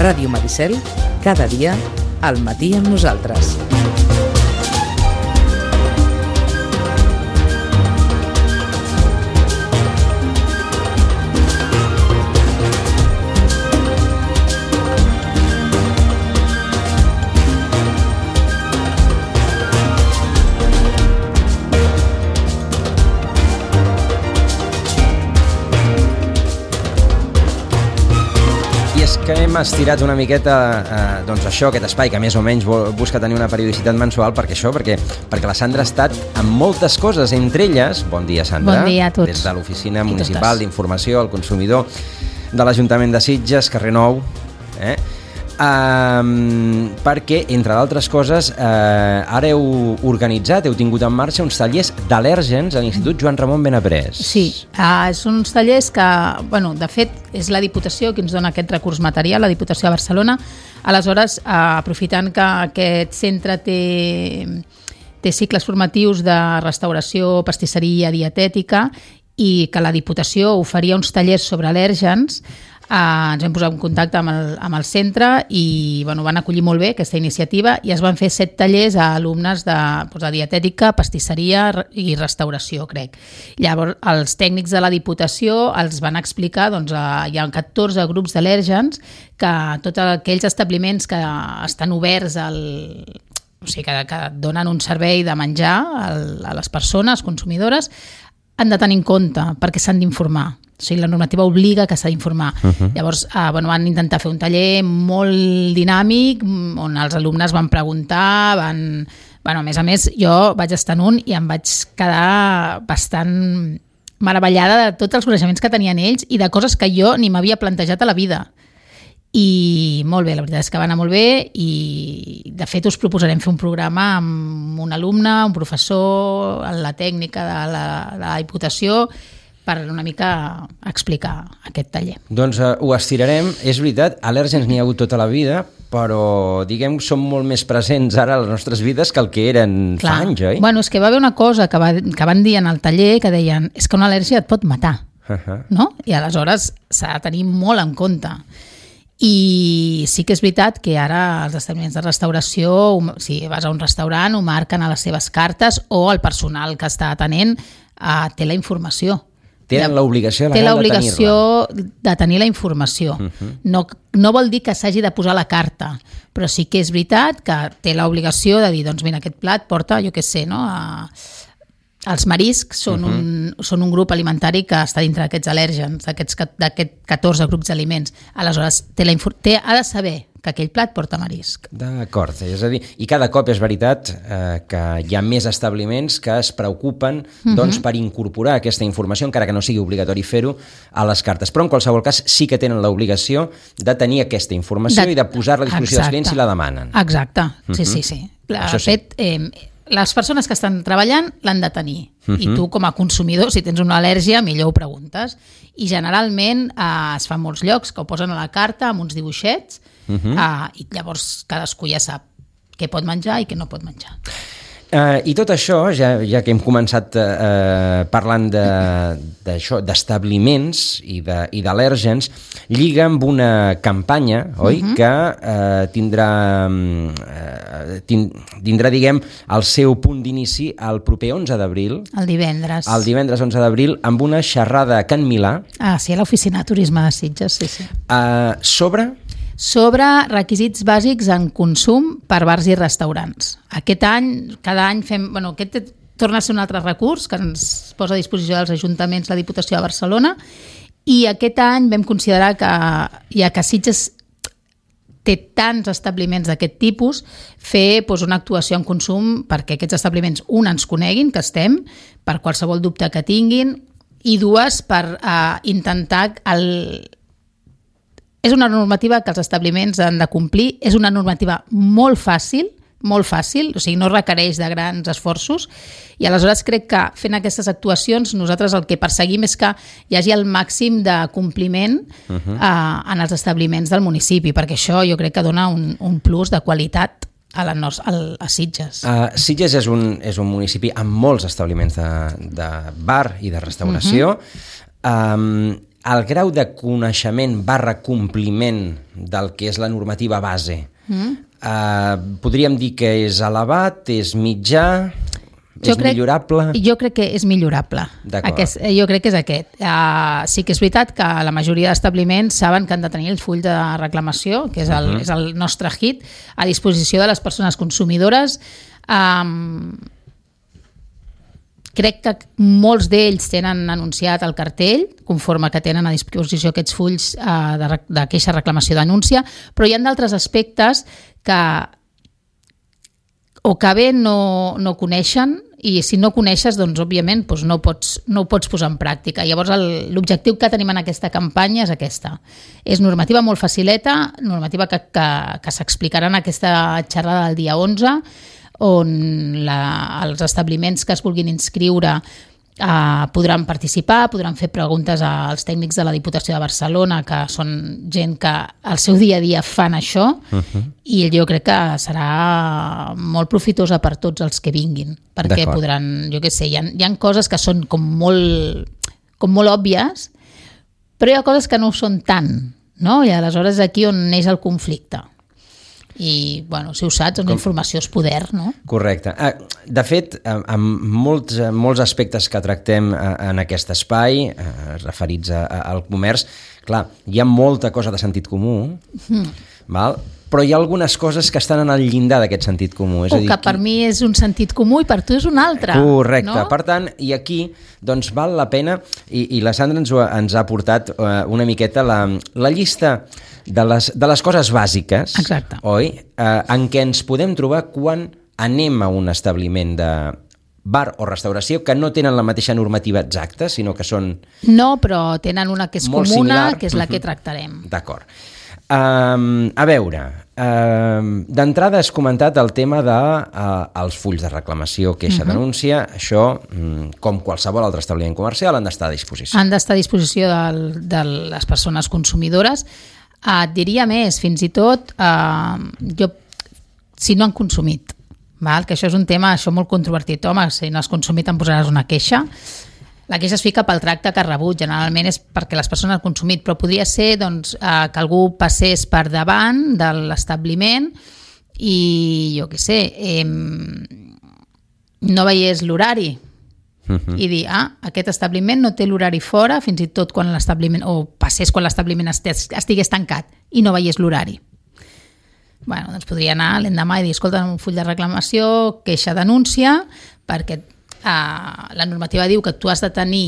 Ràdio Maricel, cada dia, al matí amb nosaltres. Que hem estirat una miqueta doncs això, aquest espai que més o menys busca tenir una periodicitat mensual, perquè la Sandra ha estat amb moltes coses, entre elles, bon dia Sandra, bon dia a tots. Des de l'Oficina Municipal d'Informació al Consumidor de l'Ajuntament de Sitges, carrer Nou, perquè, entre d'altres coses, ara heu organitzat, heu tingut en marxa uns tallers d'al·lèrgens a l'Institut Joan Ramon Benaprés. Sí, són uns tallers que, de fet, és la Diputació qui ens dona aquest recurs material, la Diputació de Barcelona. Aleshores, aprofitant que aquest centre té cicles formatius de restauració, pastisseria, dietètica, i que la Diputació oferia uns tallers sobre al·lèrgens, ens vam posar en contacte amb el centre i van acollir molt bé aquesta iniciativa i es van fer 7 tallers a alumnes de dietètica, pastisseria i restauració, crec. Llavors, els tècnics de la Diputació els van explicar, hi ha 14 grups d'al·lèrgens que tots aquells establiments que estan oberts que donen un servei de menjar a les persones consumidores han de tenir en compte perquè s'han d'informar. O sigui, la normativa obliga que s'ha d'informar. Llavors, van intentar fer un taller molt dinàmic on els alumnes van preguntar, a més, jo vaig estar en un i em vaig quedar bastant meravellada de tots els coneixements que tenien ells i de coses que jo ni m'havia plantejat a la vida. I molt bé, la veritat és que va anar molt bé i de fet us proposarem fer un programa amb un alumne, un professor, la tècnica de la Diputació per una mica explicar aquest taller. Doncs ho estirarem. És veritat, al·lèrgens n'hi ha hagut tota la vida, però diguem que són molt més presents ara a les nostres vides que el que eren fa anys, oi? És que va haver una cosa que van dir en el taller que deien és que una al·lèrgia et pot matar, no? I aleshores s'ha de tenir molt en compte. I sí que és veritat que ara els establiments de restauració, si vas a un restaurant, ho marquen a les seves cartes o el personal que està atenent té la informació. Tenen l'obligació legal de tenir-la. Té l'obligació de tenir la informació. No vol dir que s'hagi de posar la carta, però sí que és veritat que té l'obligació de dir, doncs mira, aquest plat porta, jo què sé, no? Els mariscs són un grup alimentari que està dintre d'aquests al·lèrgens, d'aquests 14 grups d'aliments. Aleshores, ha de saber que aquell plat porta marisc. D'acord, és a dir, i cada cop és veritat que hi ha més establiments que es preocupen per incorporar aquesta informació, encara que no sigui obligatori fer-ho, a les cartes. Però en qualsevol cas sí que tenen l'obligació de tenir aquesta informació i de posar-la a disposició dels clients si la demanen. Exacte, sí. De fet, les persones que estan treballant l'han de tenir i tu com a consumidor, si tens una al·lèrgia, millor ho preguntes. I generalment es fa en molts llocs que ho posen a la carta amb uns dibuixets i llavors cadascú ja sap què pot menjar i què no pot menjar. I tot això, ja que hem començat parlant d'establiments i d'al·lèrgens, lliga amb una campanya, oi? Que tindrà, diguem, el seu punt d'inici el proper 11 d'abril. El divendres. El divendres 11 d'abril, amb una xerrada a Can Milà. Sí, a l'Oficina de Turisme de Sitges, sí. Sobre requisits bàsics en consum per bars i restaurants. Cada any fem... Aquest torna a ser un altre recurs que ens posa a disposició dels ajuntaments la Diputació de Barcelona i aquest any vam considerar que, ja que Sitges té tants establiments d'aquest tipus, fer una actuació en consum perquè aquests establiments, ens coneguin, que estem, per qualsevol dubte que tinguin, i dues, per intentar És una normativa que els establiments han de complir, és una normativa molt fàcil, o sigui, no requereix de grans esforços i aleshores crec que fent aquestes actuacions nosaltres el que perseguim és que hi hagi el màxim de compliment en els establiments del municipi, perquè això jo crec que dona un plus de qualitat a Sitges. Sitges és un municipi amb molts establiments de bar i de restauració. el grau de coneixement / compliment del que és la normativa base, podríem dir que és elevat, és mitjà, és millorable? Jo crec que és millorable. Jo crec que és aquest. Sí que és veritat que la majoria d'establiments saben que han de tenir el full de reclamació, que és el nostre hit, a disposició de les persones consumidores. Crec que molts d'ells tenen anunciat el cartell, conforme que tenen a disposició aquests fulls de queixa, reclamació, denúncia, però hi ha d'altres aspectes que o que bé no coneixen, i si no coneixes, doncs, òbviament, doncs no ho pots posar en pràctica. Llavors, l'objectiu que tenim en aquesta campanya és aquesta. És normativa molt facileta, normativa que s'explicarà en aquesta xerrada del dia 11, on els establiments que es vulguin inscriure podran participar, podran fer preguntes als tècnics de la Diputació de Barcelona, que són gent que al seu dia a dia fan això, i jo crec que serà molt profitosa per tots els que vinguin, perquè podran, jo què sé, hi ha coses que són com molt òbvies, però hi ha coses que no ho són tant, no? I aleshores aquí on neix el conflicte. I, bueno, si ho saps, la informació és poder, no? Correcte. De fet, amb molts aspectes que tractem en aquest espai, referits al comerç, clar, hi ha molta cosa de sentit comú, val? Però hi ha algunes coses que estan en el llindar d'aquest sentit comú. O que per mi és un sentit comú i per tu és un altre. Correcte. No? Per tant, i aquí doncs, val la pena, i la Sandra ens ha portat una miqueta la llista de les coses bàsiques, exacte, oi? En què ens podem trobar quan anem a un establiment de bar o restauració que no tenen la mateixa normativa exacta, sinó que són... No, però tenen una que és comuna, similar, que és la que tractarem. D'acord. A veure, d'entrada has comentat el tema dels fulls de reclamació, queixa, denúncia. Això, com qualsevol altre establiment comercial, han d'estar a disposició. Han d'estar a disposició de les persones consumidores. Et diria més, fins i tot, si no han consumit, val? Que això és un tema molt controvertit. Home, si no has consumit em posaràs una queixa. La queixa es fica pel tracte que ha rebut, generalment és perquè les persones han consumit, però podria ser doncs, que algú passés per davant de l'establiment i, jo què sé, no veiés l'horari i dir, aquest establiment no té l'horari fora, fins i tot quan l'establiment, o passés quan l'establiment estigués tancat i no veiés l'horari. Bueno, doncs podria anar l'endemà i dir, escolta, un full de reclamació, queixa, denúncia, perquè la normativa diu que tu has de tenir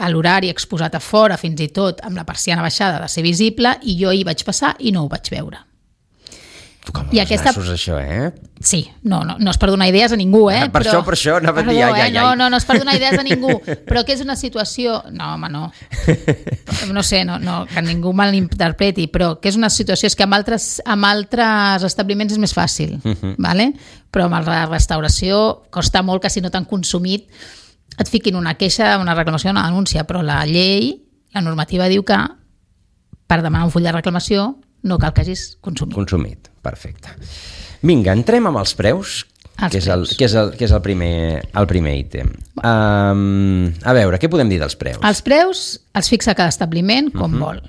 l'horari exposat a fora, fins i tot amb la persiana baixada, de ser visible, i jo hi vaig passar i no ho vaig veure. Com els nassos, això, Sí, no és per donar idees a ningú, Per això, anava a dir, No és per donar idees a ningú, però que és una situació... No, home, no. No sé, que ningú malinterpreti, però que és una situació, és que amb altres establiments és més fàcil, vale? Però amb la restauració costa molt que si no t'han consumit et fiquin una queixa, una reclamació, una denúncia, però la llei, la normativa diu que per demanar un full de reclamació no cal que hagis consumit. Consumit, perfecte. Vinga, entrem amb els preus, que és el primer ítem. A veure, què podem dir dels preus? Els preus els fixa cada establiment com vol.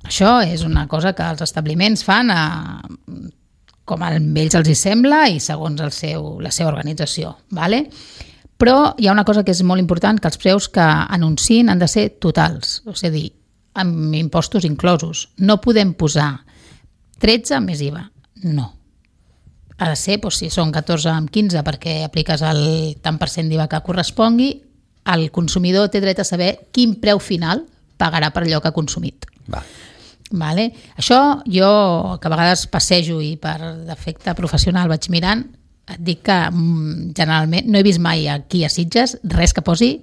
Això és una cosa que els establiments fan com a ells els hi sembla i segons la seva organització. Vale? Però hi ha una cosa que és molt important, que els preus que anunciïn han de ser totals, és a dir, amb impostos inclosos. No podem posar 13 més IVA. No. Ha de ser, si són 14 amb 15 perquè apliques el tant per cent d'IVA que correspongui, el consumidor té dret a saber quin preu final pagarà per allò que ha consumit. Vale? Això jo, que a vegades passejo i per defecte professional vaig mirant, et dic que generalment no he vist mai aquí a Sitges res que posi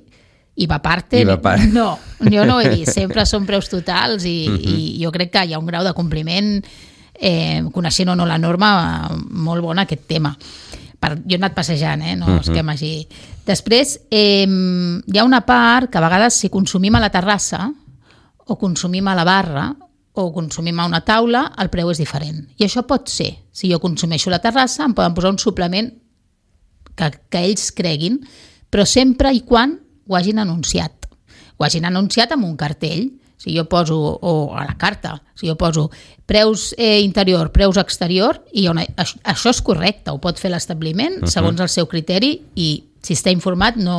IVA parte. No, jo no ho he vist. Sempre són preus totals i jo crec que hi ha un grau de compliment, coneixent o no la norma, molt bon aquest tema. Jo he anat passejant, no és que m'hagi... Després, hi ha una part que a vegades si consumim a la terrassa o consumim a la barra o consumim a una taula, el preu és diferent. I això pot ser. Si jo consumeixo a la terrassa, em poden posar un suplement que ells creguin, però sempre i quan ho hagin anunciat. ho hagin anunciat amb un cartell. Si jo poso, o a la carta, si jo poso preus interior, preus exterior, i això és correcte, ho pot fer l'establiment segons el seu criteri, i si està informat no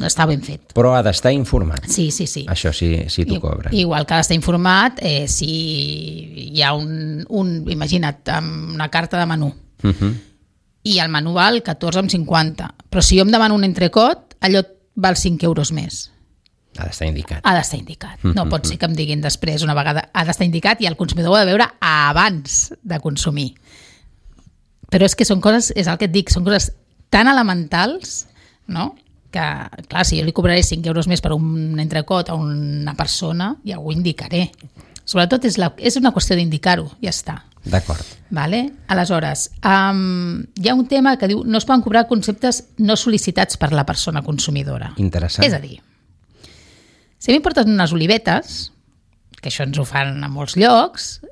està ben fet. Però ha d'estar informat. Sí. Això sí t'ho cobra. Igual que ha d'estar informat si hi ha imagina't, una carta de menú, i el menú val 14,50, però si jo em demano un entrecot, allò val 5 euros més. Ha d'estar indicat. Ha d'estar indicat. No pot ser que em diguin després una vegada ha d'estar indicat i el consumidor ho ha de veure abans de consumir. Però és que són coses, és el que et dic, són coses tan elementals, no?, que, clar, si jo li cobraré 5 euros més per un entrecot a una persona, ja ho indicaré. Sobretot és una qüestió d'indicar-ho, ja està. D'acord. Vale? Aleshores, hi ha un tema que diu no es poden cobrar conceptes no sol·licitats per la persona consumidora. Interessant. És a dir, si a mi em portes unes olivetes, que això ens ho fan a molts llocs,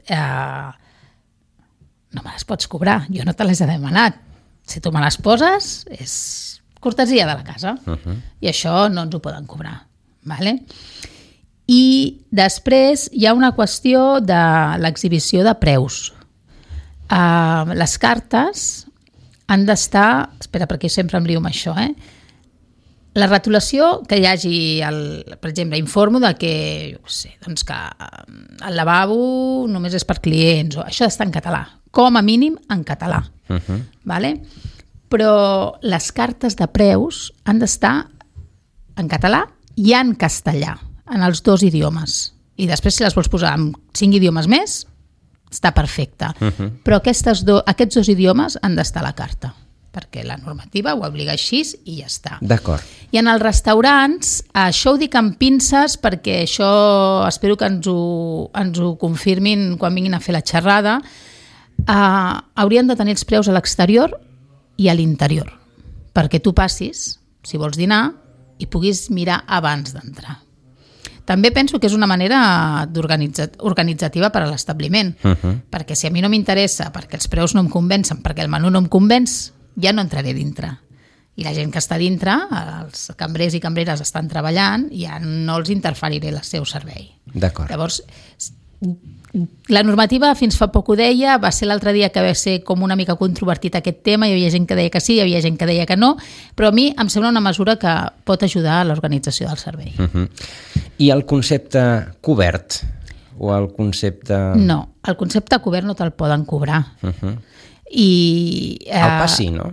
no me les pots cobrar, jo no te les he demanat. Si tu me les poses, és cortesia de la casa. I això no ens ho poden cobrar. Vale? I després hi ha una qüestió de l'exhibició de preus. Les cartes han d'estar... Espera, perquè sempre em lio amb això, La retolació, que hi hagi, per exemple, informo de que, jo què sé, doncs que el lavabo només és per clients, o això està en català, com a mínim en català. Vale? Però les cartes de preus han d'estar en català i en castellà, en els dos idiomes. I després, si les vols posar en 5 idiomes més, està perfecte. Però aquests dos idiomes han d'estar a la carta, perquè la normativa ho obliga així i ja està. D'acord. I en els restaurants, això ho dic amb pinces perquè això espero que ens ho confirmin quan vinguin a fer la xerrada, haurien de tenir els preus a l'exterior i a l'interior, perquè tu passis, si vols dinar, i puguis mirar abans d'entrar. També penso que és una manera organitzativa per a l'establiment, perquè si a mi no m'interessa, perquè els preus no em convencen, perquè el menú no em convenç, ja no entraré dintre. I la gent que està dintre, els cambrers i cambreres estan treballant, ja no els interferiré el seu servei. D'acord. Llavors, la normativa fins fa poc ho deia, va ser l'altre dia que va ser com una mica controvertit aquest tema, hi havia gent que deia que sí, hi havia gent que deia que no, però a mi em sembla una mesura que pot ajudar a l'organització del servei. I el concepte cobert? O el concepte... No, el concepte cobert no te'l poden cobrar. El pas sí, no?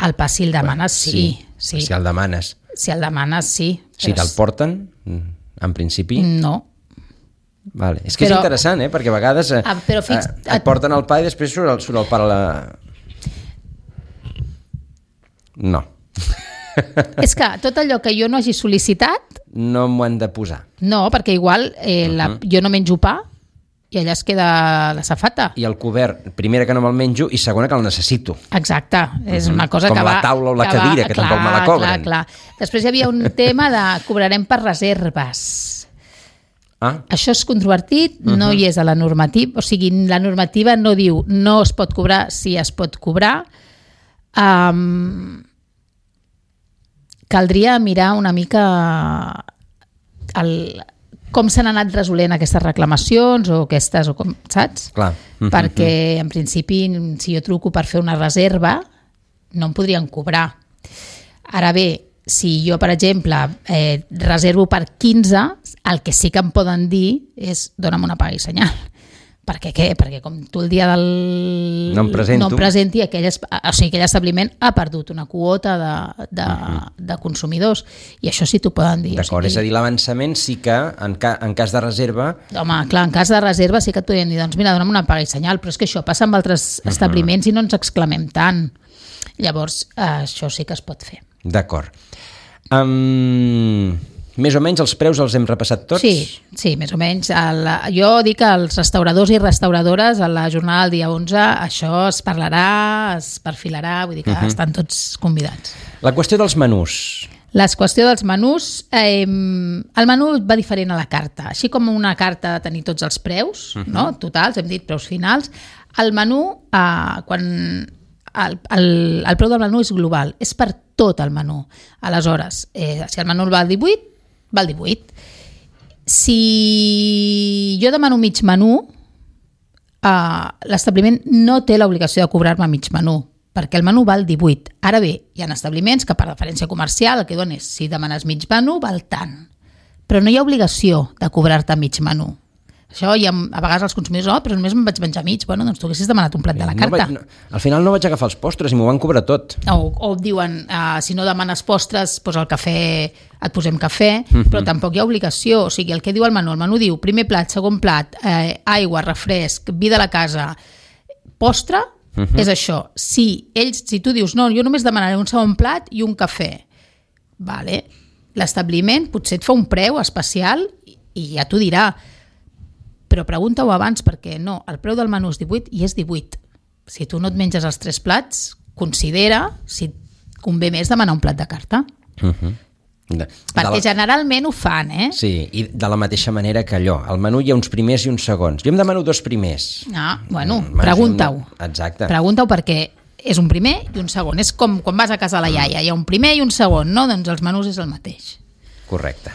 El pas si el demanes, sí. Si el demanes. Si el demanes, sí. Si te'l porten, en principi... No. Vale. És que és interessant, perquè a vegades et porten el pa i després surt el pa a la... No. És que tot allò que jo no hagi sol·licitat... No m'ho han de posar. No, perquè igual jo no menjo pa i allà es queda la safata. I el cobert, primera que no me'l menjo i segona que el necessito. Exacte, és una cosa com que va... Com la taula o la cadira, que tampoc me la cobren. Clar. Després hi havia un tema de cobrarem per reserves. Això és controvertit, no hi és a la normativa, o sigui, la normativa no diu no es pot cobrar, si es pot cobrar. Caldria mirar una mica com s'han anat resolent aquestes reclamacions o aquestes, saps? Clar. Perquè, en principi, si jo truco per fer una reserva, no em podrien cobrar. Ara bé, si jo, per exemple, reservo per 15, el que sí que em poden dir és dona'm una paga i senyal. Perquè què? Perquè com tu el dia del... No em presenti, aquell establiment ha perdut una quota de consumidors i això sí t'ho poden dir. D'acord, és a dir, l'avançament sí que en cas de reserva... Home, clar, en cas de reserva sí que et podrien dir doncs mira, dona'm una paga i senyal, però és que això passa amb altres establiments i no ens exclamem tant. Llavors, això sí que es pot fer. D'acord. Més o menys els preus els hem repassat tots? Sí, més o menys. Jo dic que els restauradors i restauradores a la jornada del dia 11 això es parlarà, es perfilarà, vull dir que estan tots convidats. La qüestió dels menús. La qüestió dels menús, el menú va diferent a la carta. Així com una carta de tenir tots els preus, no? Totals, hem dit preus finals. El menú, quan el preu del menú és global, és per tot el menú. Aleshores, si el menú val 18, val 18. Si jo demano mig menú, l'establiment no té l'obligació de cobrar-me mig menú, perquè el menú val 18. Ara bé, hi ha establiments que per referència comercial el que donen és, si demanes mig menú, val tant. Però no hi ha obligació de cobrar-te mig menú. Això ja, a vegades els consumidors, però només me'n vaig menjar mig. Bueno, doncs tu haguessis demanat un plat de la carta. Al final no vaig agafar els postres i m'ho van cobrar tot. O diuen, si no demanes postres, doncs el cafè, et posem cafè, però tampoc hi ha obligació. O sigui, el que diu el menú diu primer plat, segon plat, aigua, refresc, vi de la casa, postre, és això. Si tu dius, no, jo només demanaré un segon plat i un cafè, vale. L'establiment potser et fa un preu especial i ja t'ho dirà, però pregunta-ho abans, perquè no, el preu del menú és 18 i és 18. Si tu no et menges els 3 plats, considera si et convé més demanar un plat de carta. Perquè generalment ho fan, Sí, i de la mateixa manera que allò. Al menú hi ha uns primers i uns segons. Jo em demano 2 primers. Pregunta-ho. Exacte. Pregunta-ho perquè és un primer i un segon. És com quan vas a casa de la iaia, hi ha un primer i un segon, no? Doncs els menús és el mateix. Correcte.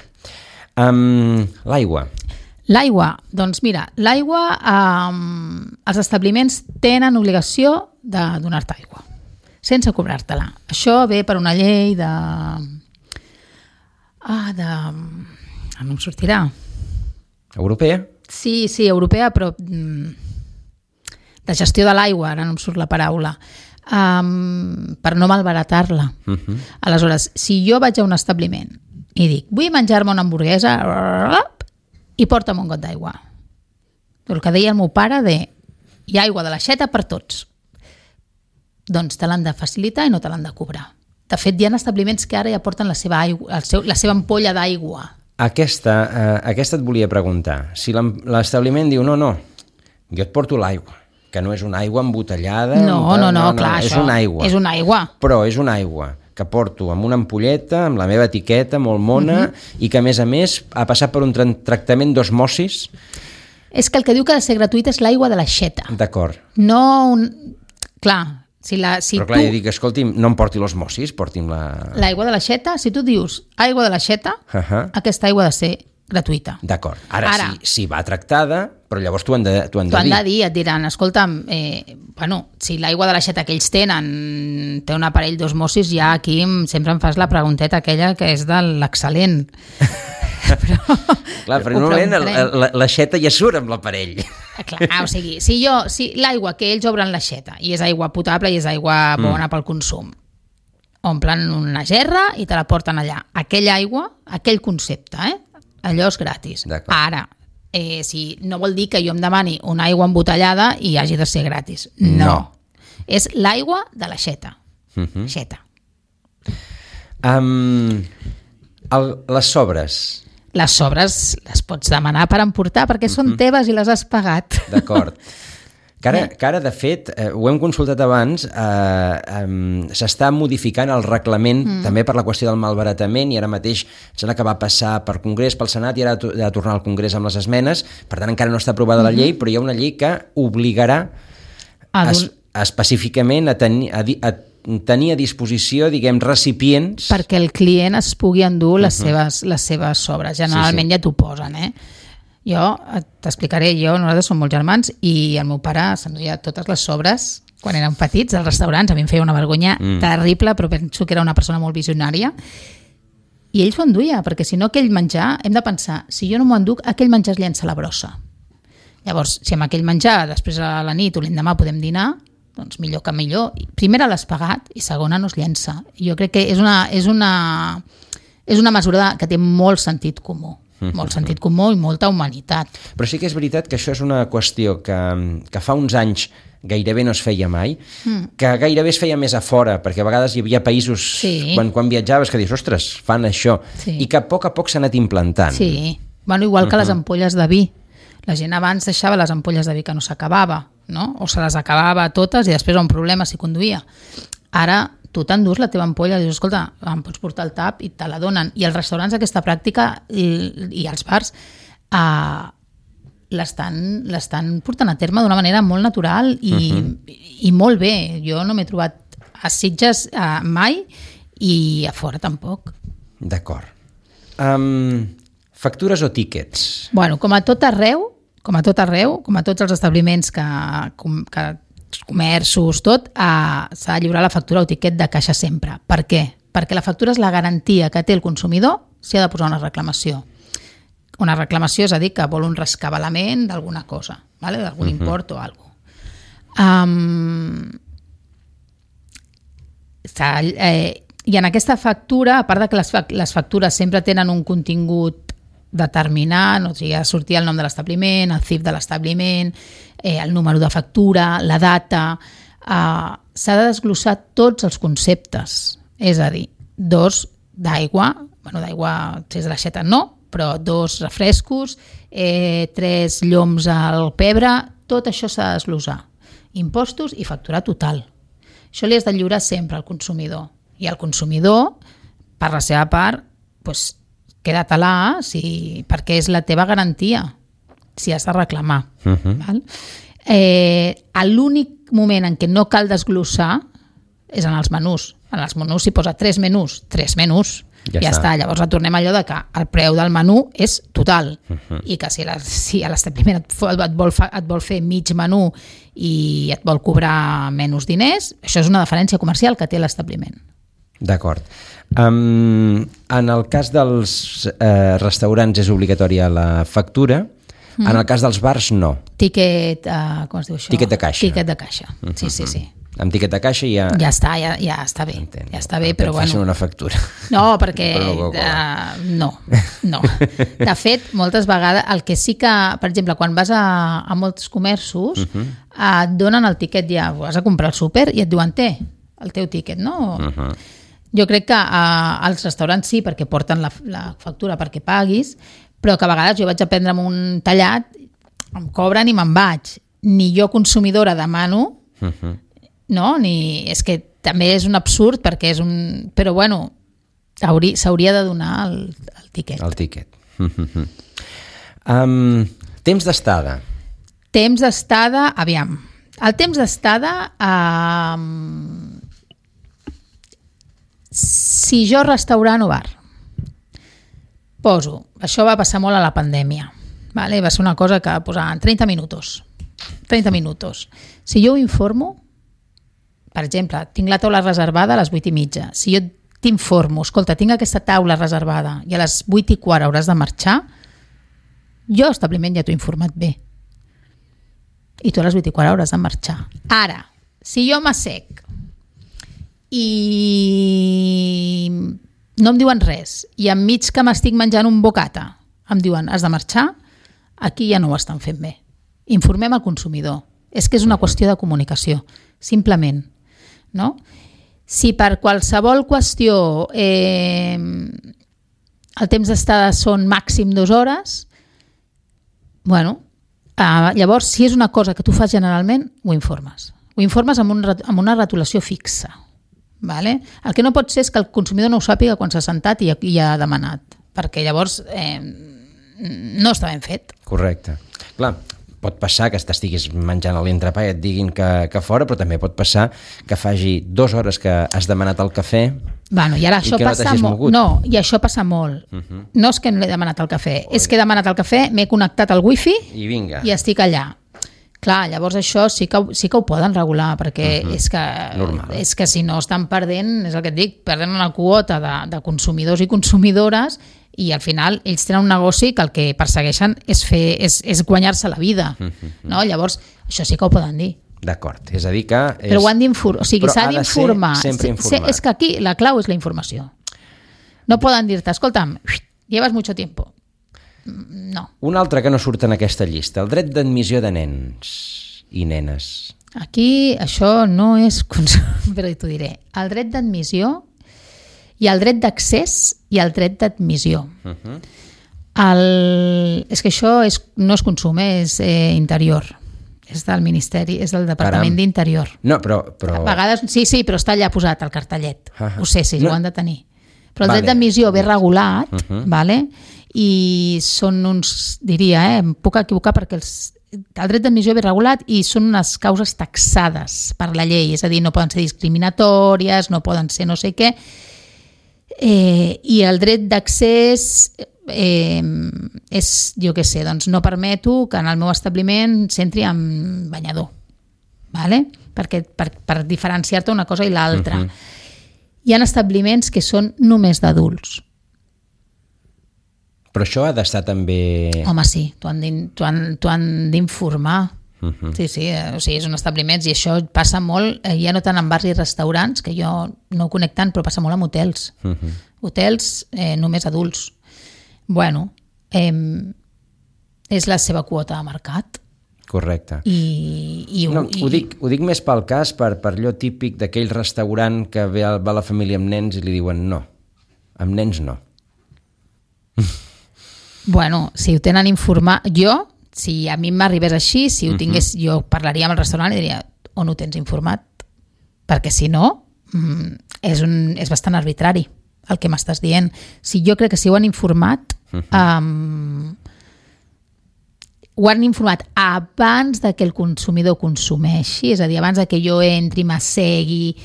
L'aigua. L'aigua, doncs mira, l'aigua, els establiments tenen obligació de donar-te aigua, sense cobrar-te-la. Això ve per una llei de... no em sortirà. Europea? Sí, europea, però de gestió de l'aigua, ara no em surt la paraula, per no malbaratar-la. Aleshores, si jo vaig a un establiment i dic, vull menjar-me una hamburguesa, i porta'm un got d'aigua. El que deia el meu pare hi ha aigua de l'aixeta per tots. Doncs te l'han de facilitar i no te l'han de cobrar. De fet, hi ha establiments que ara ja porten la seva ampolla d'aigua. Aquesta et volia preguntar. Si l'establiment diu, no, jo et porto l'aigua, que no és una aigua embotellada... No, clar, és una aigua. És una aigua. Però és una aigua que porto amb una ampolleta, amb la meva etiqueta molt mona, i que a més ha passat per un tractament d'osmosis. És que el que diu que ha de ser gratuït és l'aigua de l'aixeta. D'acord. No, clar, però clar, jo dic, escolti'm, no em porti l'osmosis, porti'm la... L'aigua de l'aixeta, si tu dius aigua de l'aixeta, aquesta aigua ha de ser gratuïta. D'acord. Ara. Si va tractada, però llavors t'ho han de dir. T'ho han de dir, et diran, escolta'm, si l'aigua de l'aixeta que ells tenen té un aparell d'osmosis, ja aquí sempre em fas la pregunteta aquella que és de l'excel·lent. Però normalment l'aixeta ja surt amb l'aparell. Clar, o sigui, si l'aigua que ells obren l'aixeta i és aigua potable i és aigua bona pel consum, omplen una gerra i te la porten allà. Aquella aigua, aquell concepte, allò és gratis. Ara, si no vol dir que jo em demani una aigua embotellada i hagi de ser gratis. No. És l'aigua de l'aixeta. Aixeta. Les sobres. Les sobres les pots demanar per emportar perquè són teves i les has pagat. D'acord. Que ara, de fet, ho hem consultat abans, s'està modificant el reglament també per la qüestió del malbaratament, i ara mateix sembla que va passar per Congrés, pel Senat, i ara ha de tornar al Congrés amb les esmenes. Per tant, encara no està aprovada la llei, però hi ha una llei que obligarà específicament a tenir a disposició, diguem, recipients... Perquè el client es pugui endur les seves sobres. Generalment ja t'ho posen, Jo t'explicaré, nosaltres som molts germans i el meu pare s'enduia totes les sobres quan érem petits als restaurants. A mi em feia una vergonya terrible, però penso que era una persona molt visionària. I ell s'ho enduia, perquè si no aquell menjar, hem de pensar, si jo no m'ho enduc, aquell menjar es llença a la brossa. Llavors, si amb aquell menjar després a la nit o l'endemà podem dinar, doncs millor que millor. Primera l'has pagat i segona no es llença. Jo crec que és una mesura que té molt sentit comú. Molt sentit comú i molta humanitat. Però sí que és veritat que això és una qüestió que fa uns anys gairebé no es feia mai, que gairebé es feia més a fora, perquè a vegades hi havia països, quan viatjaves, que dius, ostres, fan això, i que a poc s'ha anat implantant. Sí, igual que les ampolles de vi. La gent abans deixava les ampolles de vi que no s'acabava, no? O se les acabava totes i després un problema si conduïa. Ara tu t'endús la teva ampolla i dius, escolta, em pots portar el tap i te la donen. I als restaurants aquesta pràctica i als bars l'estan portant a terme d'una manera molt natural i molt bé. Jo no m'he trobat a Sitges mai i a fora tampoc. D'acord. Factures o tíquets? Bueno, com a tot arreu, com a tots els establiments comerços, tot, s'ha de lliurar la factura o tiquet de caixa sempre. Per què? Perquè la factura és la garantia que té el consumidor si ha de posar una reclamació. Una reclamació és a dir que vol un rescabalament d'alguna cosa, ¿vale? D'algun import o alguna cosa. I en aquesta factura, a part de que les factures sempre tenen un contingut determinant, o sigui, ha de sortir el nom de l'establiment, el CIF de l'establiment, el número de factura, la data, s'ha de desglossar tots els conceptes, és a dir, 2 d'aigua, d'aigua si és de l'aixeta no, però 2 refrescos, 3 lloms al pebre, tot això s'ha de desglossar. Impostos i factura total. Això li has de lliurar sempre al consumidor. I el consumidor, per la seva part, queda-te-la perquè és la teva garantia si has de reclamar. Val? L'únic moment en què no cal desglossar és en els menús. En els menús s'hi posa 3 menús. Ja està. Llavors retornem allò de que el preu del menú és total i que si a l'establiment et vol fer mig menú i et vol cobrar menys diners, això és una diferència comercial que té l'establiment. D'acord. En el cas dels restaurants és obligatòria la factura, en el cas dels bars no. Tiquet, com es diu això? Tiquet de caixa. Tiquet de caixa, sí. Amb tiquet de caixa ja... Ja està bé. Entenc. Ja està bé, però bueno... Facin una factura. No, perquè... No. De fet, moltes vegades, el que sí que, per exemple, quan vas a molts comerços, et donen el tiquet ja, vas a comprar al súper i et diuen, té, el teu tiquet, no? Jo crec que als restaurants sí, perquè porten la factura perquè paguis, però que a vegades jo vaig a prendre'm un tallat, em cobren i me'n vaig. Ni jo, consumidora, demano, no? És que també és un absurd perquè és un... Però bueno, s'hauria de donar el tiquet. El tiquet. Temps d'estada. Temps d'estada, aviam. El temps d'estada... Si jo restaurant o bar poso, això va passar molt a la pandèmia, vale? Va ser una cosa que posaven 30 minuts. Si jo ho informo, per exemple, tinc la taula reservada a les 8:30, si jo t'informo, escolta, tinc aquesta taula reservada i a les 8:15 hauràs de marxar, jo establiment ja t'ho he informat bé i tu a les 8:15 hauràs de marxar. Ara, si jo m'assec i no em diuen res i enmig que m'estic menjant un bocata em diuen has de marxar, aquí ja no ho estan fent bé. Informem al consumidor. És que és una qüestió de comunicació, simplement. No? Si per qualsevol qüestió el temps d'estada són màxim 2 hores, bueno, llavors si és una cosa que tu fas generalment, ho informes. Ho informes amb una retolació fixa. Vale? El que no pot ser és que el consumidor no ho sàpiga quan s'ha sentat i ha demanat, perquè llavors no està ben fet. Correcte. Clar, pot passar que t'estiguis menjant l'entrepà i et diguin que fora, però també pot passar que faci 2 hores que has demanat el cafè i ara això passa molt. No, i això passa molt. No és que no he demanat el cafè, és que he demanat el cafè, m'he connectat al wifi i estic allà. Clar, llavors això sí que ho poden regular, perquè és que si no estan perdent, és el que et dic, perdent una quota de consumidors i consumidores i al final ells tenen un negoci que el que persegueixen és guanyar-se la vida. No? Llavors, això sí que ho poden dir. D'acord, és a dir que... Però ho han d'informar, o sigui, s'ha d'informar. És que aquí la clau és la informació. No poden dir-te, escolta'm, llevas mucho tiempo. No. Un altre que no surt en aquesta llista, el dret d'admissió de nens i nenes. Aquí això no és... Però t'ho diré. El dret d'admissió hi ha el dret d'accés i el dret d'admissió. És que això no és consum, és interior. És del Ministeri, és del Departament d'Interior. No, però... A vegades, sí, però està allà posat el cartellet. Ho sé, sí, ho han de tenir. Però el dret d'admissió ve regulat, vale? i són uns, diria, em puc equivocar perquè el dret d'admissió ve regulat i són unes causes taxades per la llei, és a dir, no poden ser discriminatòries, no poden ser no sé què, i el dret d'accés és, jo què sé, doncs no permeto que en el meu establiment s'entri amb banyador, vale? Perquè, per diferenciar-te una cosa i l'altra. Hi ha establiments que són només d'adults. Però això ha d'estar també... Home, sí, t'ho han d'informar. Sí, o sigui, són establiments i això passa molt, ja no tant en bars i restaurants, que jo no ho conec tant, però passa molt amb hotels. Hotels només adults. Bueno, és la seva quota de mercat. Correcte. Ho dic més pel cas, per allò típic d'aquell restaurant que va la família amb nens i li diuen no, amb nens no. Bueno, si ho tenen informat, si a mi m'arribés així, si ho tingués, jo parlaria amb el restaurant i diria, on ho tens informat? Perquè si no, és bastant arbitrari el que m'estàs dient. Si jo crec que si ho han informat, ho han informat abans de que el consumidor consumeixi, és a dir, abans de que jo entri, m'assegui,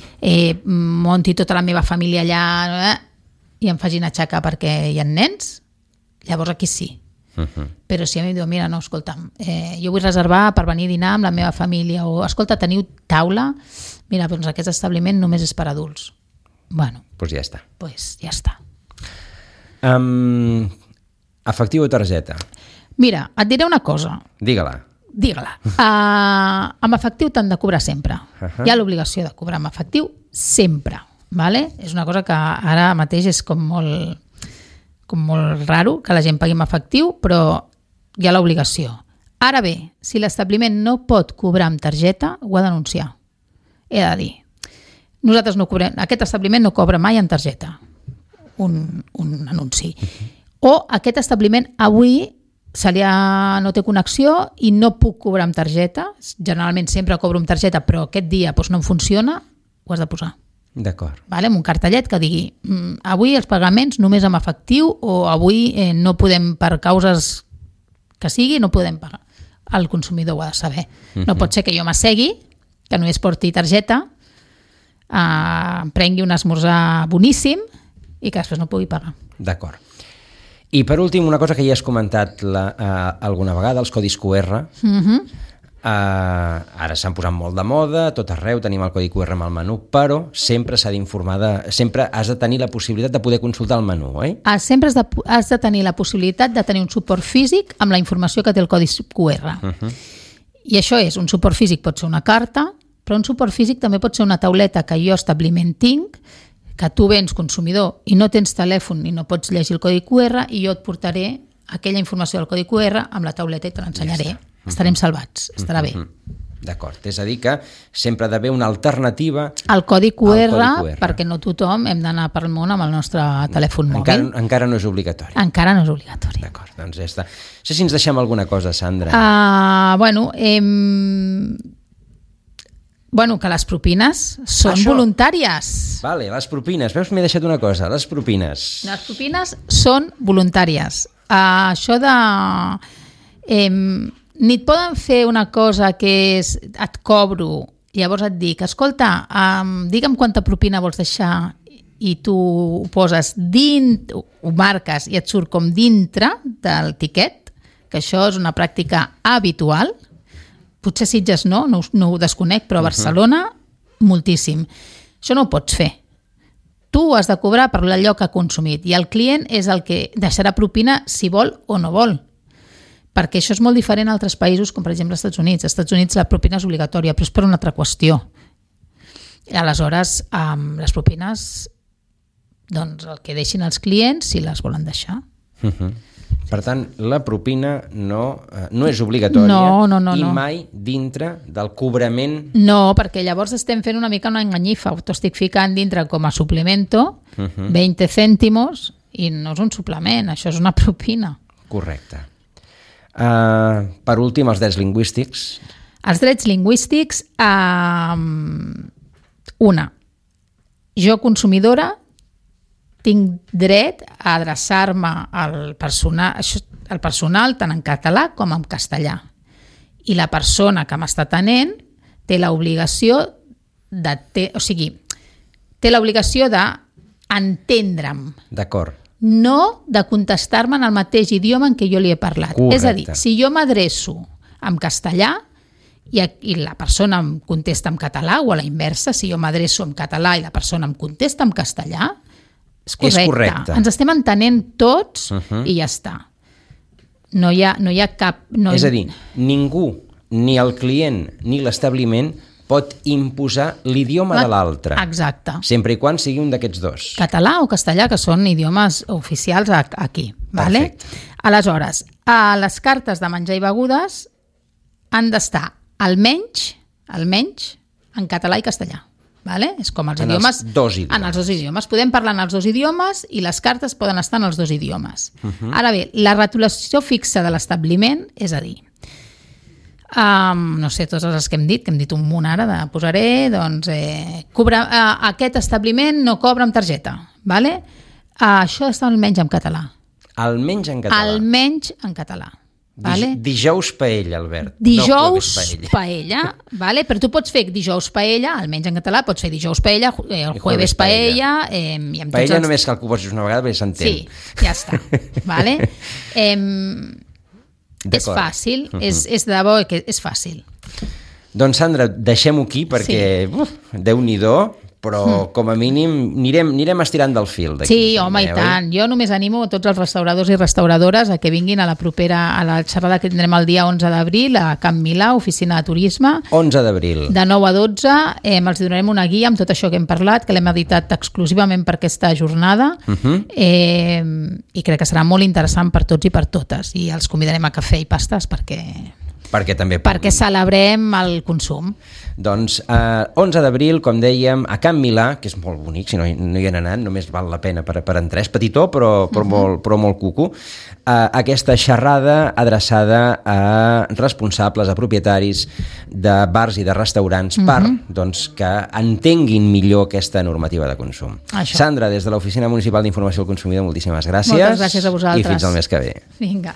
monti tota la meva família allà i em facin aixecar perquè hi ha nens, llavors aquí sí. Però si a mi em diu, mira, no, escolta'm, jo vull reservar per venir a dinar amb la meva família, o escolta, teniu taula? Mira, doncs aquest establiment només és per adults. Bueno, doncs ja està. Ja està. Efectiu o targeta? Mira, et diré una cosa. Digue-la. Amb efectiu t'han de cobrar sempre. Hi ha l'obligació de cobrar amb efectiu sempre. Vale? És una cosa que ara mateix és com molt raro que la gent pagui amb efectiu, però hi ha l'obligació. Ara bé, si l'establiment no pot cobrar amb targeta, ho ha d'anunciar. He de dir, nosaltres no cobrem, aquest establiment no cobra mai amb targeta. Un anunci. O aquest establiment avui no té connexió i no puc cobrar amb targeta. Generalment sempre cobro amb targeta, però aquest dia no em funciona, ho has de posar. D'acord. Vale? Amb un cartellet que digui avui els pagaments només amb efectiu, o avui no podem, per causes que sigui, no podem pagar. El consumidor ho ha de saber. No pot ser que jo m'assegui, que només porti targeta, prengui un esmorzar boníssim i que després no pugui pagar. D'acord. I per últim, una cosa que ja has comentat alguna vegada, els codis QR. Ara s'han posat molt de moda, tot arreu tenim el codi QR amb el menú, però sempre s'ha d'informar, sempre has de tenir la possibilitat de poder consultar el menú, oi? Sempre has de tenir la possibilitat de tenir un suport físic amb la informació que té el codi QR. I això és, un suport físic pot ser una carta, però un suport físic també pot ser una tauleta que jo establiment tinc, que tu vens consumidor i no tens telèfon i no pots llegir el codi QR, i jo et portaré aquella informació del codi QR amb la tauleta i te l'ensenyaré. Estarem salvats, estarà bé. D'acord, és a dir que sempre ha d'haver una alternativa al codi QR, perquè no tothom hem d'anar pel món amb el nostre telèfon mòbil. Encara no és obligatori. Encara no és obligatori. D'acord, doncs ja està. No sé si ens deixem alguna cosa, Sandra. Que les propines són voluntàries. Vale, les propines. Veus, m'he deixat una cosa, les propines. Les propines són voluntàries. Això de... ni et poden fer una cosa que és et cobro, llavors et dic, escolta, digue'm quanta propina vols deixar, i tu ho poses dins, ho marques i et surt com dintre del tiquet, que això és una pràctica habitual. Potser Sitges no ho desconec, però a Barcelona moltíssim. Això no ho pots fer. Tu has de cobrar per allò que ha consumit i el client és el que deixarà propina si vol o no vol. Perquè això és molt diferent a altres països, com per exemple als Estats Units. Als Estats Units la propina és obligatòria, però és per una altra qüestió. I aleshores, les propines, doncs el que deixin els clients si les volen deixar. Per tant, la propina no és obligatòria i mai dintre del cobrament... No, perquè llavors estem fent una mica una enganyifa. T'ho estic ficant dintre com a suplemento, 20 cèntimos, i no és un suplement, això és una propina. Correcte. Per últim, els drets lingüístics. Els drets lingüístics, jo consumidora tinc dret a adreçar-me al personal tant en català com en castellà. I la persona que m'està atenent té l'obligació té l'obligació d'entendre'm. D'acord. No de contestar-me en el mateix idioma en què jo li he parlat. Correcte. És a dir, si jo m'adreço en castellà i la persona em contesta en català, o a la inversa, si jo m'adreço en català i la persona em contesta en castellà, és correcte. Ens estem entenent tots i ja està. No hi ha cap... És a dir, ningú, ni el client ni l'establiment pot imposar l'idioma de l'altre. Exacte. Sempre i quan sigui un d'aquests dos. Català o castellà, que són idiomes oficials aquí. Vale? Perfecte. Aleshores, a les cartes de menjar i begudes han d'estar almenys en català i castellà. Vale? És com els idiomes. Els dos idiomes. En els dos idiomes. Podem parlar en els dos idiomes i les cartes poden estar en els dos idiomes. Ara bé, la retolació fixa de l'establiment, és a dir, no sé, totes les que hem dit un munt ara, posaré, doncs, aquest establiment no cobra amb targeta, vale? Això està almenys en català. Almenys en català. Almenys en català. Vale? Dijous paella, Albert. Dijous paella, vale? Però tu pots fer dijous paella, almenys en català, pots fer dijous paella, el jueves paella... Paella només cal que ho posis una vegada perquè s'entén. Sí, ja està. Vale? És fàcil, és de debò que és fàcil. Doncs Sandra, deixem-ho aquí perquè Déu-n'hi-do, però com a mínim anirem estirant del fil d'aquí. Sí, home, i tant. Jo només animo a tots els restauradors i restauradores a que vinguin a la xerrada que tindrem el dia 11 d'abril a Camp Milà, oficina de turisme. 11 d'abril. De 9 a 12. Els donarem una guia amb tot això que hem parlat, que l'hem editat exclusivament per aquesta jornada, i crec que serà molt interessant per tots i per totes. I els convidarem a cafè i pastes perquè celebrem el consum. Doncs 11 d'abril, com dèiem, a Camp Milà, que és molt bonic, si no hi han anat, només val la pena per entrar, és petitó però molt cuco, aquesta xerrada adreçada a responsables, a propietaris de bars i de restaurants per que entenguin millor aquesta normativa de consum. Això. Sandra, des de l'Oficina Municipal d'Informació al Consumidor, moltíssimes gràcies. Moltes gràcies a vosaltres. I fins al mes que ve. Vinga.